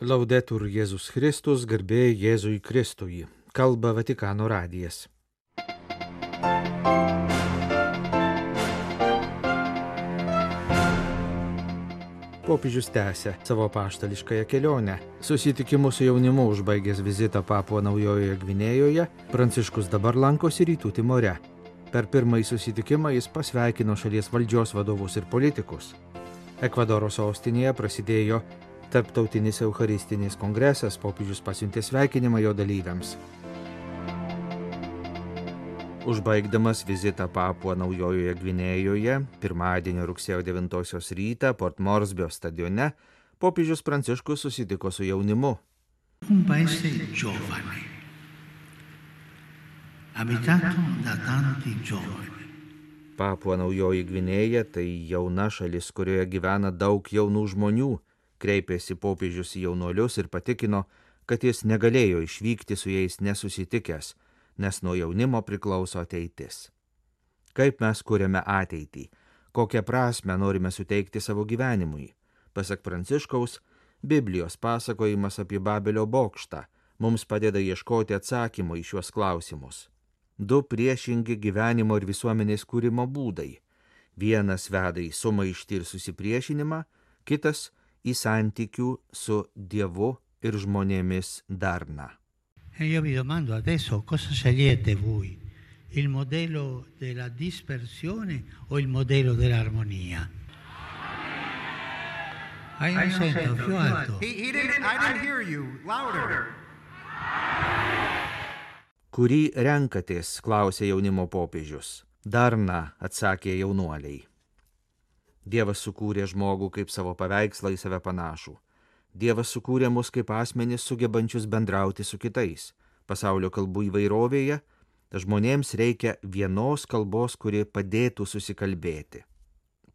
Laudetur Jėzus Kristus, garbė Jėzui Kristui. Kalba Vatikano radijas. Popiežius tęsia savo apaštališkąją kelionę. Susitikimu su jaunimu užbaigęs vizitą Papua Naujojoje Gvinėjoje, Pranciškus dabar lankosi Rytų Timore. Per pirmąjį susitikimą jis pasveikino šalies valdžios vadovus ir politikus. Ekvadoro sostinėje prasidėjo Tarptautinis Eucharistinis kongresas, popiežius pasiuntė sveikinimą jo dalyviams. Užbaigdamas vizitą Papua Naujojoje Gvinėjoje, pirmadienio rugsėjo 9 rytą Port Moresbio stadione, popiežius Pranciškus susitiko su jaunimu. Un paese giovane, abitato da tanti giovani. Papua Naujoji Gvinėja tai jauna šalis, kurioje gyvena daug jaunų žmonių. Kreipėsi popiežius į jaunuolius ir patikino, kad jis negalėjo išvykti su jais nesusitikęs, nes nuo jaunimo priklauso ateitis. Kaip mes kuriame ateitį? Kokią prasmę norime suteikti savo gyvenimui? Pasak Pranciškaus, Biblijos pasakojimas apie Babelio bokštą mums padeda ieškoti atsakymų į šiuos klausimus. Du priešingi gyvenimo ir visuomenės kūrimo būdai. Vienas veda į sumaištį ir susipriešinimą, kitas į santykių su Dievu ir žmonėmis darną. E io vi domando adesso cosa scegliete voi, il modello della dispersione o il modello dell'armonia? Non sento, più alto. I didn't hear you. Louder. Kurį renkatės, klausė jaunimo popiežius. Darna, atsakė jaunuoliai. Dievas sukūrė žmogų kaip savo paveikslą į save panašų. Dievas sukūrė mus kaip asmenis sugebančius bendrauti su kitais. Pasaulio kalbų įvairovėje žmonėms reikia vienos kalbos, kuri padėtų susikalbėti.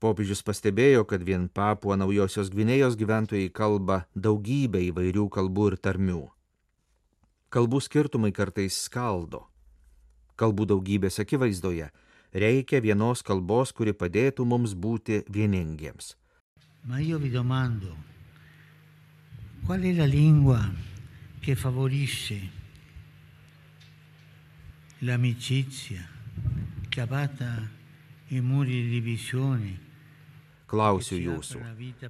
Popiežius pastebėjo, kad vien Papua Naujosios Gvinėjos gyventojai kalba daugybę įvairių kalbų ir tarmių. Kalbų skirtumai kartais skaldo. Kalbų daugybės akivaizdoje reikia vienos kalbos, kuri padėtų mums būti vieningiems. Ma io vi domando, qual è la lingua che favorisce l'amicizia, che abbatta i muri di divisione? Klausiu jūsų,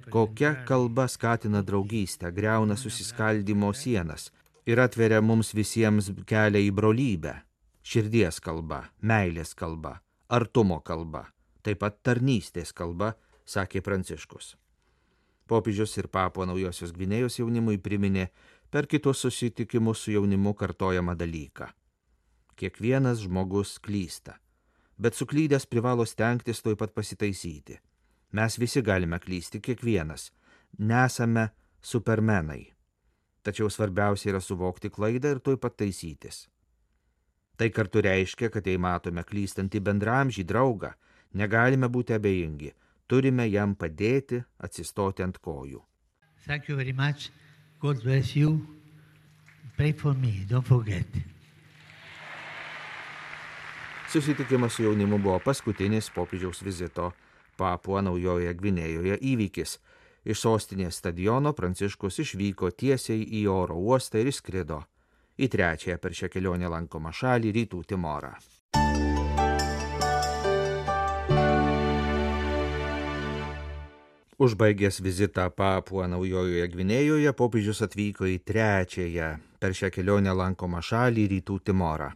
kokia kalba skatina draugystę, griauna susiskaldymo sienas ir atveria mums visiems kelią į brolybę? Širdies kalba, meilės kalba, artumo kalba, taip pat tarnystės kalba, sakė Pranciškus. Popiežius ir Papua Naujosios Gvinėjos jaunimui priminė per kitus susitikimus su jaunimu kartojamą dalyką. Kiekvienas žmogus klysta, bet suklydęs privalo stengtis tuoj pat pasitaisyti. Mes visi galime klysti, kiekvienas. Nesame supermenai. Tačiau svarbiausia yra suvokti klaidą ir tuoj pat taisytis. Tai kartu reiškia, kad jei matome klystantį bendramžį draugą, negalime būti abejingi, turime jam padėti atsistoti ant kojų. Thank you very much. God bless you. Pray for me, don't forget. Susitikimas su jaunimu buvo paskutinis popiežiaus vizito Papua Naujojoje Gvinėjoje įvykis. Iš sostinės stadiono Pranciškus išvyko tiesiai į oro uostą ir išskrido į trečiąją per šią kelionę lankomą šalį Rytų Timorą. Užbaigęs vizitą Papua Naujojoje Gvinėjoje, popiežius atvyko į trečiąją per šią kelionę lankomą šalį Rytų Timorą.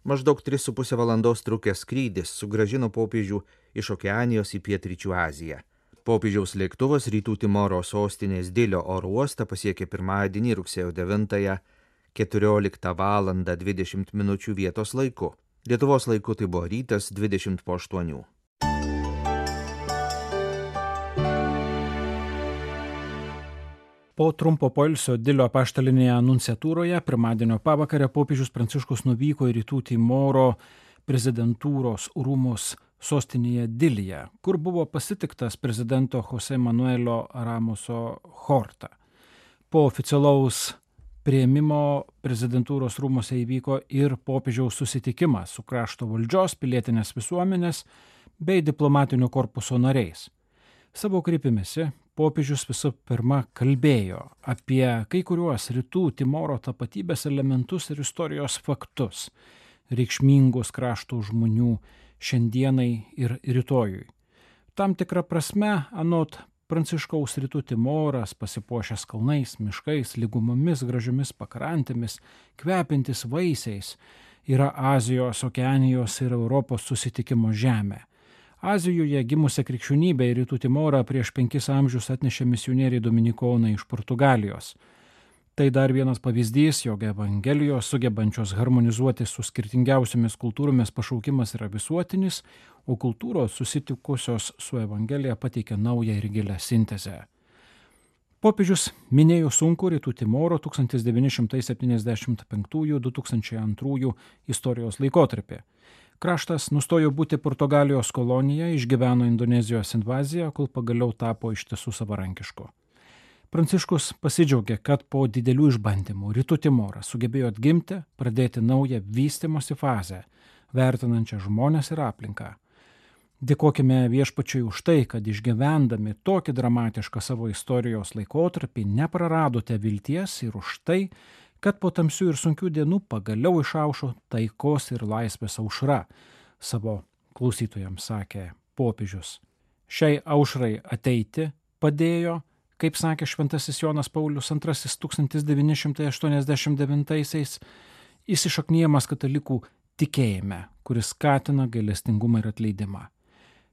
Maždaug 3,5 valandos trukęs skrydis sugrąžino popiežių iš Okeanijos į Pietryčių Aziją. Popiežiaus lėktuvas Rytų Timoro sostinės Dilio oro uostą pasiekė pirmadienį rugsėjo 9 14 valandą 20 minučių vietos laiku. Lietuvos laiku tai buvo rytas 20:08. Po trumpo poilsio Dilio apaštalinėje nunciatūroje pirmadienio pavakarę popiežius Pranciškus nuvyko į Rytų Timoro prezidentūros rūmus sostinėje Dilyje, kur buvo pasitiktas prezidento Jose Manuelio Ramoso Horta. Po oficialaus priėmimo prezidentūros rūmose įvyko ir popiežiaus susitikimas su krašto valdžios, pilietinės visuomenės bei diplomatinio korpuso nariais. Savo kreipimesi popiežius visų pirma kalbėjo apie kai kuriuos rytų Timoro tapatybės elementus ir istorijos faktus, reikšmingus krašto žmonių šiandienai ir rytojui. Tam tikrą prasme, anot Pranciškaus, rytų Timoras, pasipuošęs kalnais, miškais, lygumomis, gražiomis pakrantėmis, kvepintis vaisiais, yra Azijos, Okeanijos ir Europos susitikimo žemė. Azijoje gimusią krikščionybę į rytų Timorą prieš 5 amžius atnešė misionieriai dominikonai iš Portugalijos. Tai dar vienas pavyzdys, jog Evangelijos sugebančios harmonizuoti su skirtingiausiomis kultūromis pašaukimas yra visuotinis, o kultūros susitikusios su Evangelija pateikia naują ir gilią sintezę. Popiežius minėjo sunkų rytų Timoro 1975-2002 istorijos laikotarpį. Kraštas nustojo būti Portugalijos kolonija, išgyveno Indonezijos invaziją, kol pagaliau tapo iš tiesų savarankišku. Pranciškus pasidžiaugė, kad po didelių išbandymų rytų Timoras sugebėjo atgimti, pradėti naują vystymosi fazę, vertinančią žmones ir aplinką. Dėkokime Viešpačiui už tai, kad išgyvendami tokį dramatišką savo istorijos laikotarpį nepraradote vilties ir už tai, kad po tamsių ir sunkių dienų pagaliau išaušo taikos ir laisvės aušra, savo klausytojams sakė popiežius. Šiai aušrai ateiti padėjo, kaip sakė šventasis Jonas Paulius II 1989-aisiais, įsišaknijamas katalikų tikėjime, kuris skatina gailestingumą ir atleidimą.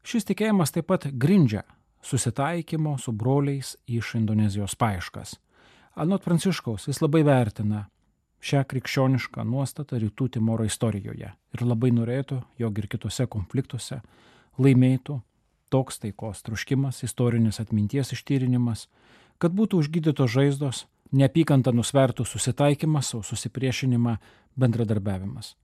Šis tikėjimas taip pat grindžia susitaikymo su broliais iš Indonezijos paieškas. Anot Pranciškaus, jis labai vertina šią krikščionišką nuostatą rytų Timoro istorijoje ir labai norėtų, jog ir kitose konfliktuose laimėtų toks taikos troškimas, istorinis atminties ištyrinimas, kad būtų užgydytos žaizdos, neapykantą nusvertų susitaikymas, o susipriešinimą bendradarbiavimas.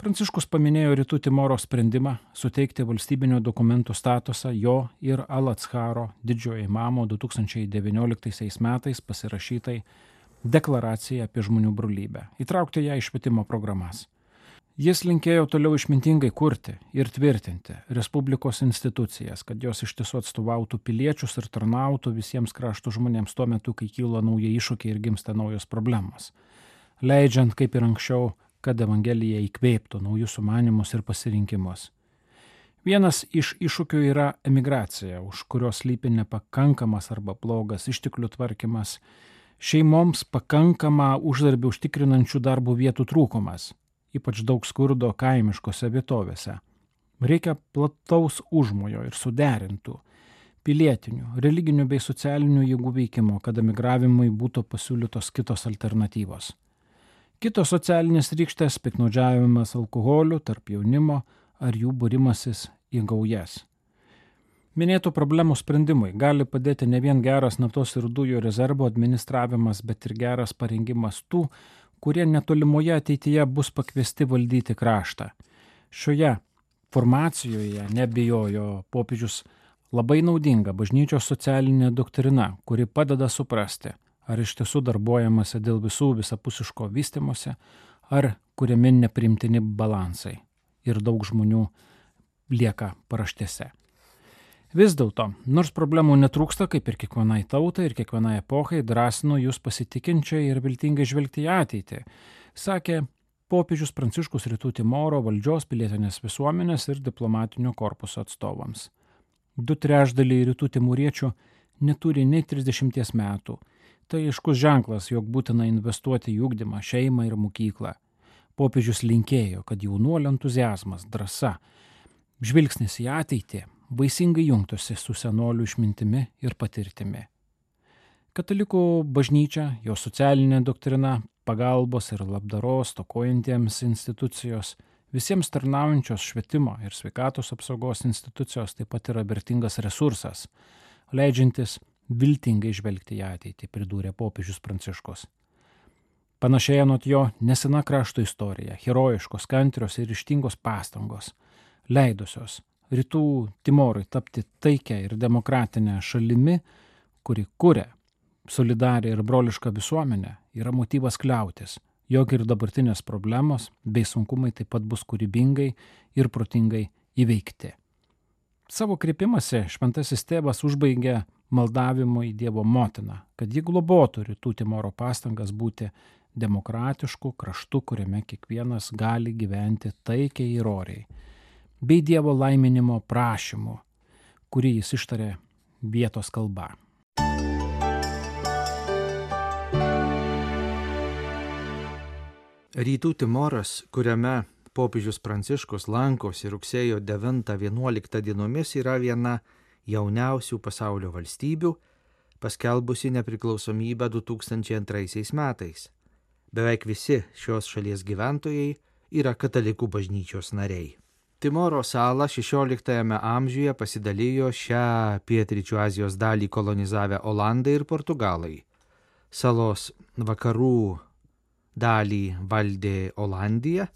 Pranciškus paminėjo rytų Timoro sprendimą suteikti valstybinio dokumentų statusą jo ir Al-Atsharo didžiojo imamo 2019 metais pasirašytai deklaracijai apie žmonių brolybę, įtraukti ją į švietimo programas. Jis linkėjo toliau išmintingai kurti ir tvirtinti Respublikos institucijas, kad jos iš tiesų atstovautų piliečius ir tarnautų visiems krašto žmonėms tuo metu, kai kyla nauji iššūkiai ir gimsta naujos problemos, leidžiant, kaip ir anksčiau, kad Evangelija įkvėptų naujus sumanymus ir pasirinkimus. Vienas iš iššūkių yra emigracija, už kurios slypi nepakankamas arba blogas išteklių tvarkymas, šeimoms pakankamą uždarbį užtikrinančių darbo vietų trūkumas, ypač daug skurdo kaimiškose vietovėse. Reikia plataus užmojo ir suderintų pilietinių, religinių bei socialinių jėgų veikimo, kad emigravimui būtų pasiūlytos kitos alternatyvos. Kitos socialinės rykštės - piktnaudžiavimas alkoholiu tarp jaunimo ar jų būrimasis į gaujas. Minėtų problemų sprendimui gali padėti ne vien geras naftos ir dujų rezervo administravimas, bet ir geras parengimas tų, kurie netolimoje ateityje bus pakviesti valdyti kraštą. Šioje formacijoje, nebijojo popiežius, labai naudinga bažnyčios socialinė doktrina, kuri padeda suprasti, ar iš tiesų darbuojamasi dėl visų visapusiško vystymosi, ar kuriami neprimtini balansai ir daug žmonių lieka paraštėse. Vis dėlto, nors problemų netrūksta, kaip ir kiekvienai tautai ir kiekvienai epochai, drąsinu jūs pasitikinčiai ir viltingai žvelgti į ateitį, sakė popiežius Pranciškus rytų Timoro valdžios, pilietinės visuomenės ir diplomatinio korpuso atstovams. 2/3 rytų timoriečių neturi nei 30 metų. Tai aiškus ženklas, jog būtina investuoti į ugdymą, šeimą ir mokyklą. Popiežius linkėjo, kad jaunuolių entuziazmas, drąsa, žvilgsnis į ateitį vaisingai jungtųsi su senolių išmintimi ir patirtimi. Katalikų bažnyčia, jo socialinė doktrina, pagalbos ir labdaros stokojantiems institucijos, visiems tarnaujančios švietimo ir sveikatos apsaugos institucijos taip pat yra vertingas resursas, leidžiantis viltingai žvelgti į ateitį, pridūrė popiežius Pranciškus. Panašiai anot jo nesena krašto istorija, herojiškos, kantrios ir ryžtingos pastangos, leidusios rytų Timorui tapti taikia ir demokratinę šalimi, kuri kuria solidarią ir brolišką visuomenę, yra motyvas kliautis, jog ir dabartinės problemos bei sunkumai taip pat bus kūrybingai ir protingai įveikti. Savo kreipimąsi šventasis tėvas užbaigė maldavimo į Dievo motiną, kad ji globotų Rytų Timoro pastangas būti demokratišku kraštu, kuriame kiekvienas gali gyventi taikiai ir oriai, bei Dievo laiminimo prašymu, kurį jis ištarė vietos kalba. Rytų Timoras, kuriame popiežius Pranciškus lankosi rugsėjo 9-11 dienomis, yra viena jauniausių pasaulio valstybių, paskelbusi nepriklausomybę 2002 metais. Beveik visi šios šalies gyventojai yra katalikų bažnyčios nariai. Timoro salą 16 amžiuje pasidalijo šią pietryčių Azijos dalį kolonizavę Olandai ir Portugalai. Salos vakarų dalį valdė Olandija,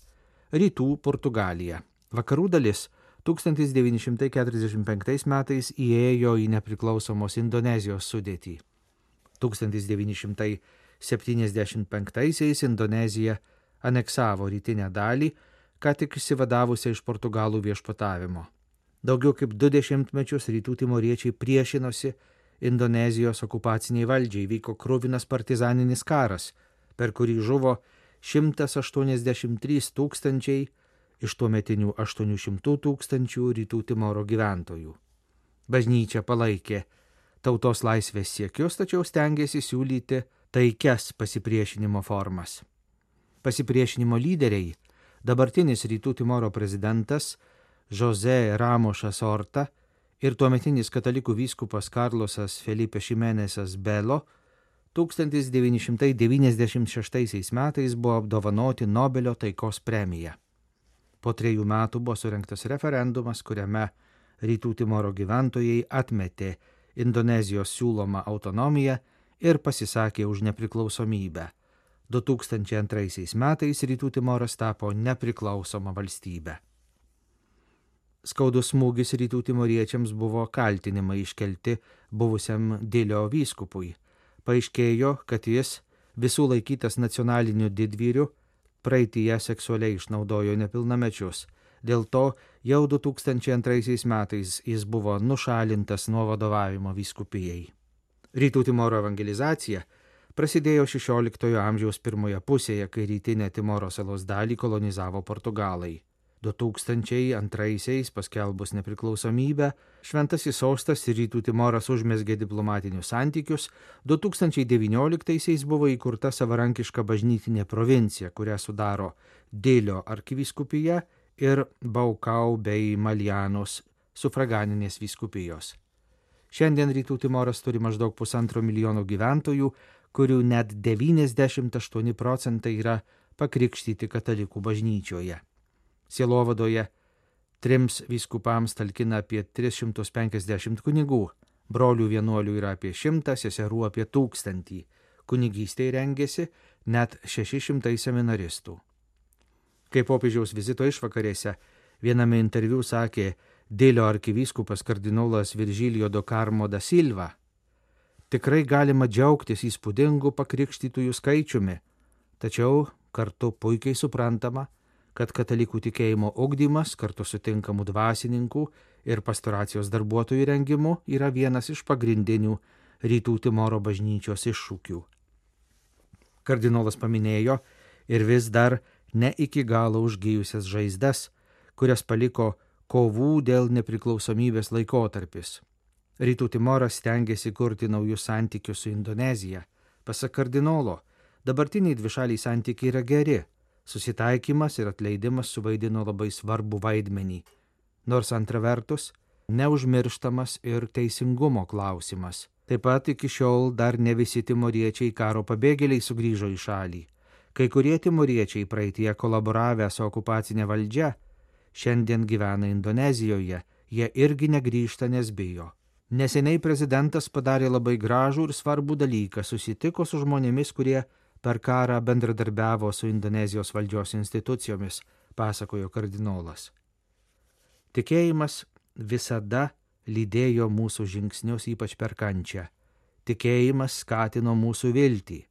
rytų Portugalija. Vakarų dalis 1945 metais įėjo į nepriklausomos Indonezijos sudėtį. 1975 Indonezija aneksavo rytinę dalį, ką tik išsivadavusią iš Portugalų viešpatavimo. Daugiau kaip 20 mečius rytų timoriečiai priešinosi Indonezijos okupaciniai valdžiai, vyko kruvinas partizaninis karas, per kurį žuvo 183 tūkstančiai iš tuometinių 800 tūkstančių rytų Timoro gyventojų. Bažnyčia palaikė tautos laisvės siekius, tačiau stengėsi siūlyti taikias pasipriešinimo formas. Pasipriešinimo lyderiai, dabartinis rytų Timoro prezidentas José Ramošas Orta ir tuometinis katalikų vyskupas Karlosas Felipe Ximenesas Belo 1996 metais buvo apdovanoti Nobelio taikos premija. Po 3 metų buvo surengtas referendumas, kuriame rytų Timoro gyventojai atmetė Indonezijos siūlomą autonomiją ir pasisakė už nepriklausomybę. 2002 metais rytų Timoras tapo nepriklausoma valstybė. Skaudus smūgis rytų timoriečiams buvo kaltinimai iškelti buvusiam Dilio vyskupui. Paaiškėjo, kad jis, visų laikytas nacionaliniu didvyriu, praeityje seksualiai išnaudojo nepilnamečius. Dėl to jau 2002 metais jis buvo nušalintas nuo vadovavimo vyskupijai. Rytų Timoro evangelizacija prasidėjo 16 amžiaus pirmoje pusėje, kai rytinę Timoro salos dalį kolonizavo Portugalai. 2002 paskelbus nepriklausomybę, Šventasis sostas ir rytų Timoras užmezgė diplomatinius santykius, 2019 buvo įkurta savarankiška bažnytinė provincija, kurią sudaro Dilio arkivyskupija ir Baukau bei Maljanos sufraganinės vyskupijos. Šiandien rytų Timoras turi maždaug 1,5 milijono gyventojų, kurių net 98% yra pakrikštyti katalikų bažnyčioje. Sielovadoje 3 vyskupams talkina apie 350 kunigų, brolių vienuolių yra apie 100, seserų apie 1000, kunigystėje rengėsi net 600 seminaristų. Kai popiežiaus vizito išvakarėse viename interviu sakė Dilio arkivyskupas kardinolas Virgilio do Carmo da Silva, tikrai galima džiaugtis įspūdingu pakrikštytųjų skaičiumi, tačiau kartu puikiai suprantama, kad katalikų tikėjimo ugdymas kartu su tinkamu dvasininkų ir pastoracijos darbuotojų rengimu yra vienas iš pagrindinių rytų Timoro bažnyčios iššūkių. Kardinolas paminėjo ir vis dar ne iki galo užgijusias žaizdas, kurias paliko kovų dėl nepriklausomybės laikotarpis. Rytų Timoras stengiasi kurti naujus santykius su Indonezija. Pasak kardinolo, dabartiniai dvišaliai santykiai yra geri. Susitaikymas ir atleidimas suvaidino labai svarbų vaidmenį. Nors antra vertus, neužmirštamas ir teisingumo klausimas. Taip pat iki šiol dar ne visi timoriečiai karo pabėgėliai sugrįžo į šalį. Kai kurie timoriečiai praeitie kolaboravę su okupacinė valdžia, šiandien gyvena Indonezijoje, jie irgi negrįžta, nes bijo. Neseniai prezidentas padarė labai gražų ir svarbų dalyką, susitiko su žmonėmis, kurie per karą bendradarbiavo su Indonezijos valdžios institucijomis, pasakojo kardinolas. Tikėjimas visada lydėjo mūsų žingsnius, ypač per kančią. Tikėjimas skatino mūsų viltį.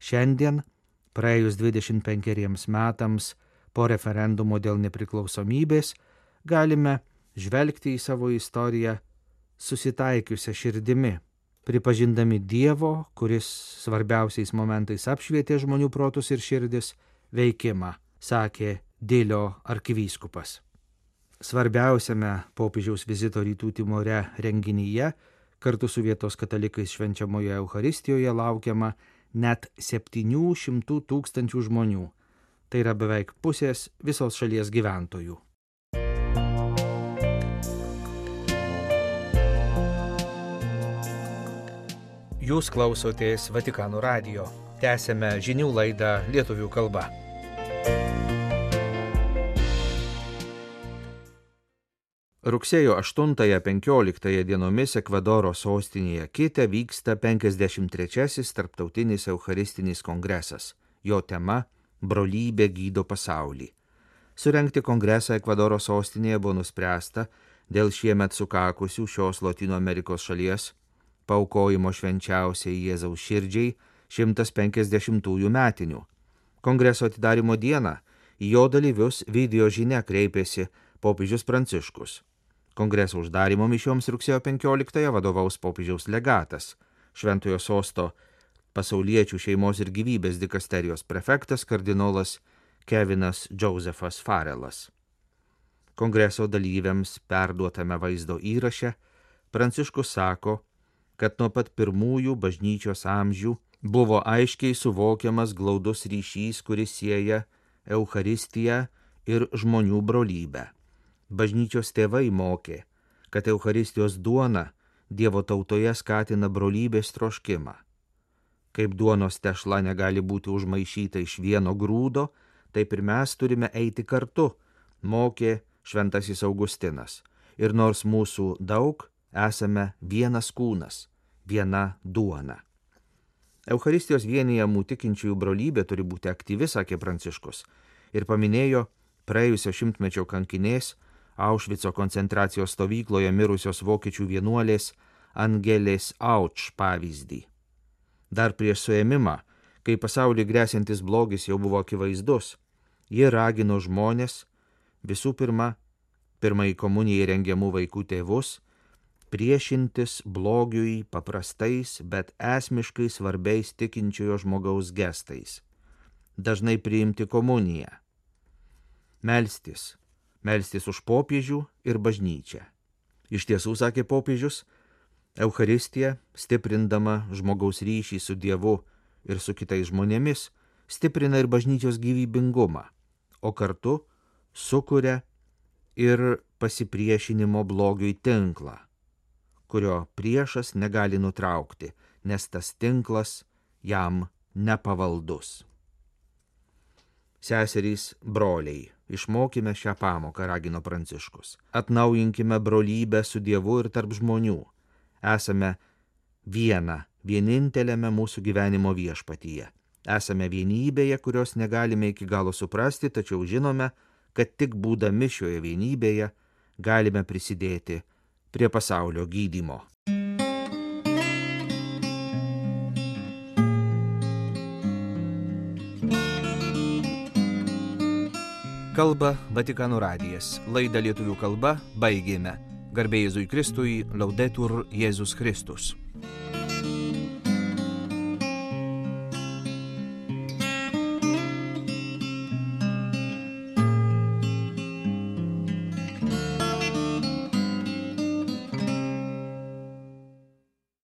Šiandien, praėjus 25 metams po referendumo dėl nepriklausomybės, galime žvelgti į savo istoriją susitaikiusią širdimi, pripažindami Dievo, kuris svarbiausiais momentais apšvietė žmonių protus ir širdis, veikimą, sakė Dilio arkivyskupas. Svarbiausiame popiežiaus vizito Rytų Timore renginyje kartu su vietos katalikais švenčiamoje Eucharistijoje laukiama net 700 000 žmonių. Tai yra beveik pusės visos šalies gyventojų. Jūs klausotės Vatikano radijo. Tęsiame žinių laidą lietuvių kalba. Rugsėjo 8-15 dienomis Ekvadoro sostinėje Kite vyksta 53-asis tarptautinis Eucharistinis kongresas. Jo tema – brolybė gydo pasaulį. Surengti kongresą Ekvadoro sostinėje buvo nuspręsta dėl šiemet sukakusių šios Lotynų Amerikos šalies paaukojimo švenčiausiai Jėzaus širdžiai 150-ųjų metinių. Kongreso atidarimo dieną į jo dalyvius video žinia kreipėsi popiežius Pranciškus. Kongreso uždarimo mišioms rugsėjo 15-ąją vadovaus popiežiaus legatas, Šventojo sosto pasauliečių šeimos ir gyvybės dikasterijos prefektas kardinolas Kevinas Josefas Farelas. Kongreso dalyviams perduotame vaizdo įraše Pranciškus sako, kad nuo pat pirmųjų bažnyčios amžių buvo aiškiai suvokiamas glaudus ryšys, kuris sieja Eucharistiją ir žmonių brolybę. Bažnyčios tėvai mokė, kad Eucharistijos duona Dievo tautoje skatina brolybės troškimą. Kaip duonos tešla negali būti užmaišyta iš vieno grūdo, taip ir mes turime eiti kartu, mokė šventasis Augustinas. Ir nors mūsų daug, esame vienas kūnas, viena duona. Eucharistijos vienijamų tikinčiųjų brolybė turi būti aktyvi, sakė Pranciškus, ir paminėjo praėjusio šimtmečio kankinės Aušvico koncentracijos stovykloje mirusios vokiečių vienuolės Angelės Auč pavyzdį. Dar prieš suėmimą, kai pasauliui gresiantis blogis jau buvo akivaizdus, ji ragino žmonės, visų pirma, pirmai komunijai rengiamų vaikų tėvus, priešintis blogiui paprastais, bet esmiškai svarbiais tikinčiojo žmogaus gestais. Dažnai priimti komuniją. Melstis už popiežių ir bažnyčią. Iš tiesų, sakė popiežius, Eucharistija, stiprindama žmogaus ryšį su Dievu ir su kitais žmonėmis, stiprina ir bažnyčios gyvybingumą, o kartu sukuria ir pasipriešinimo blogiui tinklą, kurio priešas negali nutraukti, nes tas tinklas jam nepavaldus. Seserys, broliai, išmokime šią pamoką, ragino Pranciškus. Atnaujinkime brolybę su Dievu ir tarp žmonių. Esame vieninteliame mūsų gyvenimo viešpatyje. Esame vienybėje, kurios negalime iki galo suprasti, tačiau žinome, kad tik būdami šioje vienybėje galime prisidėti prie pasaulio gydymo. Kalba Vatikano radijas. Laidą lietuvių kalba baigėme. Garbė Jėzui Kristui, Laudetur Jėzus Kristus.